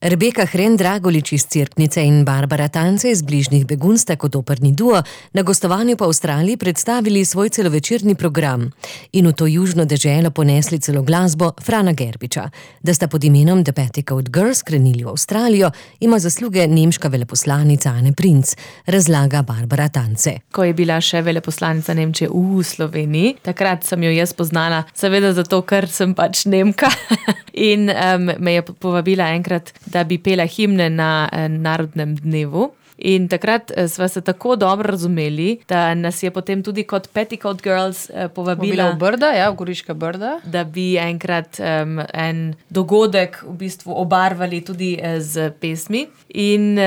Rebeka Hren-Dragolič iz Cerknice in Barbara Tance iz bližnjih Begunj sta kot operni duo na gostovanju po Avstraliji predstavili svoj celovečerni program in v to južno deželo ponesli celo glasbo Frana Gerbiča. Da sta pod imenom The Petticoat Girls krenili v Avstralijo, ima zasluge nemška veleposlanica Anne Princ, razlaga Barbara Tance. Ko je bila še veleposlanica Nemčije v Sloveniji, takrat sem jo jaz poznala, seveda zato, ker sem pač Nemka in me je povabila enkrat, da bi pela himne na narodnem dnevu. In takrat sva se tako dobro razumeli, da nas je potem tudi kot Petticoat Girls povabila v Brda, v Goriška Brda, da bi enkrat en dogodek v bistvu obarvali tudi z pesmi. In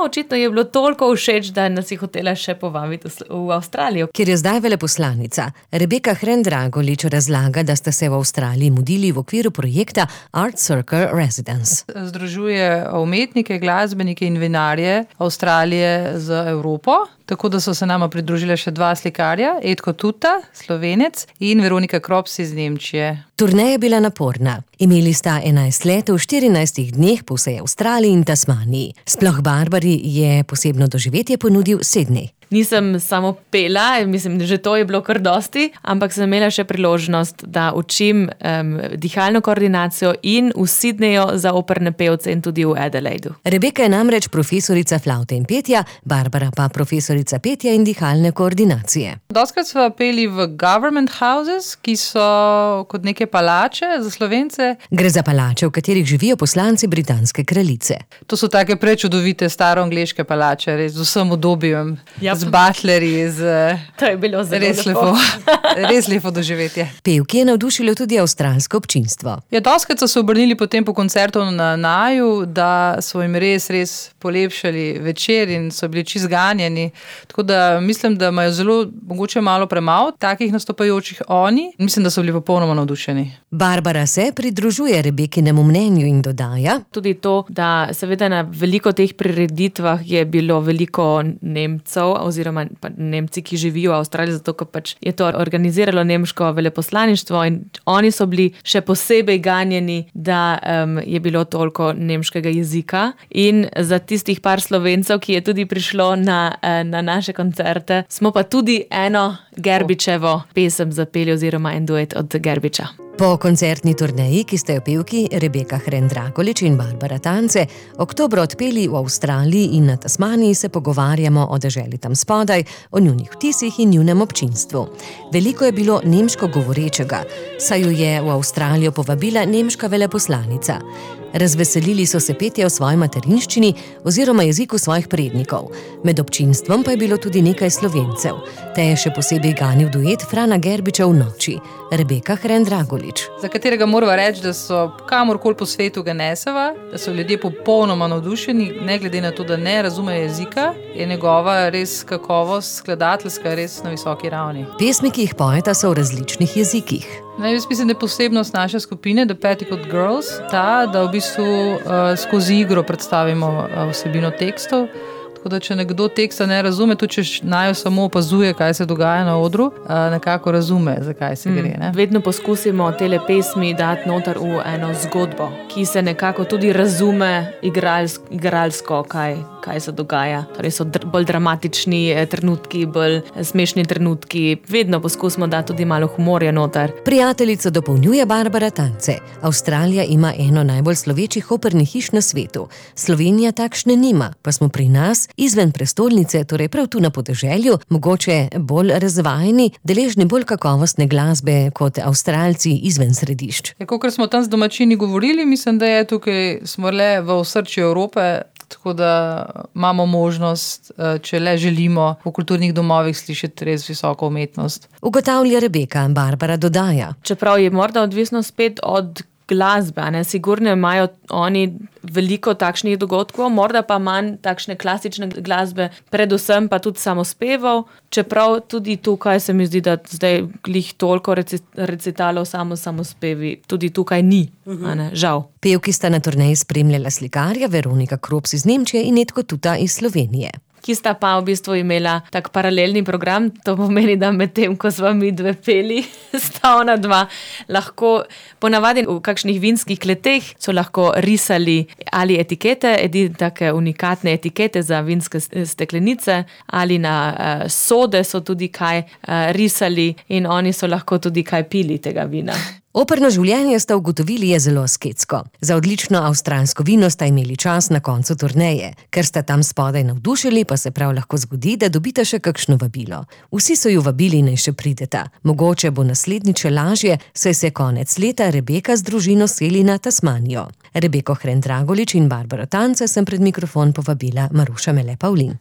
očitno je bilo toliko všeč, da nas je hotela še povabiti v Avstralijo. Ker je zdaj veleposlanica, Rebeka Hren-Dragolič razlaga, da sta se v Avstraliji mudili v okviru projekta Art Circle Residence. Združuje umetnike, glasbenike in vinarje Avstralije z Evropo, tako da so se nama pridružile še dva slikarja, Edko Tuta, Slovenec, in Veronika Krops iz Nemčije. Turneja je bila naporna. Imeli sta 11 let v 14 dneh po vsej Avstraliji in Tasmaniji. Sploh Barbari je posebno doživetje ponudil Sydney. Nisem samo pela, mislim, že to je bilo kar dosti, ampak sem imela še priložnost, da učim dihalno koordinacijo in v Sydneyju za operne pevce in tudi v Adelaidu. Rebeka je namreč profesorica flavte in petja, Barbara pa profesorica petja in dihalne koordinacije. Dostikrat sva peli v government houses, ki so kot neke palače za Slovence. Gre za palače, v katerih živijo poslanci britanske kraljice. To so take prečudovite staroangleške palače, res z vsem udobjem. Z butlerji, to je bilo zelo lepo. Res lepo doživetje. Pevki je navdušilo tudi avstralsko občinstvo. Dostikrat so se obrnili potem po koncertu na Naju, da so jim res polepšali večer in so bili čisto zganjeni. Tako da mislim, da imajo zelo mogoče malo premalo takih nastopajočih oni. Mislim, da so bili popolnoma navdušeni. Barbara se pridružuje Rebekinemu mnenju in dodaja. Tudi to, da seveda na veliko teh prireditvah je bilo veliko Nemcev oziroma Nemci, ki živijo v Avstraliji, zato ker pač je to organiziralo nemško veleposlaništvo in oni so bili še posebej ganjeni, da je bilo toliko nemškega jezika. In za tistih par Slovencev, ki je tudi prišlo na naše koncerte, smo pa tudi eno Gerbičevo pesem zapeli oziroma en duet od Gerbiča. Po koncertni turneji, ki sta jo pevki Rebeka Hren-Dragolič in Barbara Tance oktobra odpeli v Avstraliji in na Tasmaniji, se pogovarjamo o deželi tam spodaj, o njunih vtisih in njunem občinstvu. Veliko je bilo nemško govorečega, saj jo je v Avstralijo povabila nemška veleposlanica. Razveselili so se petja v svoji materinščini oziroma jeziku svojih prednikov. Med občinstvom pa je bilo tudi nekaj Slovencev. Te je še posebej ganil duet Frana Gerbiča v noči, Rebeka Hren-Dragolič. Za katerega morava reči, da so kamorkoli po svetu ga neseva, da so ljudje popolnoma navdušeni, ne glede na to, da ne razumejo jezika, je njegova res kakovost skladateljska res na visoki ravni. Pesmi, ki jih pojeta, so v različnih jezikih. Jaz mislim, da je posebnost naše skupine, The Petticoat Girls, ta, da v bistvu skozi igro predstavimo vsebino tekstov. Tako da, če nekdo teksta ne razume, tudi če naju samo opazuje, kaj se dogaja na odru, nekako razume, zakaj se gre. Ne? Vedno poskusimo tele pesmi dati noter v eno zgodbo, ki se nekako tudi razume igralsko, kaj se dogaja. Torej so bolj dramatični trenutki, bolj smešni trenutki. Vedno poskusimo dati tudi malo humorja noter. Prijateljico dopolnjuje Barbara Tance. Avstralija ima eno najbolj slovečih opernih hiš na svetu. Slovenija takšne nima, pa smo pri nas izven prestolnice, torej prav tu na podeželju, mogoče bolj razvajeni, deležni bolj kakovostne glasbe kot Avstralci izven središč. Kakor smo tam z domačini govorili, mislim, da je tukaj smo le v osrčju Evrope, tako da imamo možnost, če le želimo, v kulturnih domovih slišati res visoko umetnost. Ugotavlja Rebeka, Barbara dodaja. Čeprav je morda odvisno spet od glasbe, sigurno imajo oni veliko takšnih dogodkov, morda pa manj takšne klasične glasbe, predvsem pa tudi samospevov, čeprav tudi tukaj se mi zdi, da zdaj glih toliko recitalov samospevi, tudi tukaj ni, žal. Pevki sta na turneji spremljala slikarja Veronika Krops iz Nemčije in Edko Tuta iz Slovenije. ki sta pa v bistvu imela tak paralelni program. To pomeni, da med tem, ko sva mi dve peli, sta ona dva lahko ponavadi v kakšnih vinskih kleteh so lahko risali ali etikete, take unikatne etikete za vinske steklenice, ali na sode so tudi kaj risali in oni so lahko tudi kaj pili tega vina. Operno življenje, sta ugotovili, je zelo asketsko. Za odlično avstralsko vino sta imeli čas na koncu turneje. Ker sta tam spodaj navdušili, pa se prav lahko zgodi, da dobita še kakšno vabilo. Vsi so ju vabili, naj še prideta. Mogoče bo naslednjič lažje, saj se konec leta Rebeka z družino seli na Tasmanijo. Rebeko Hren Dragolič in Barbaro Tance sem pred mikrofon povabila Maruša Mele Pavlin.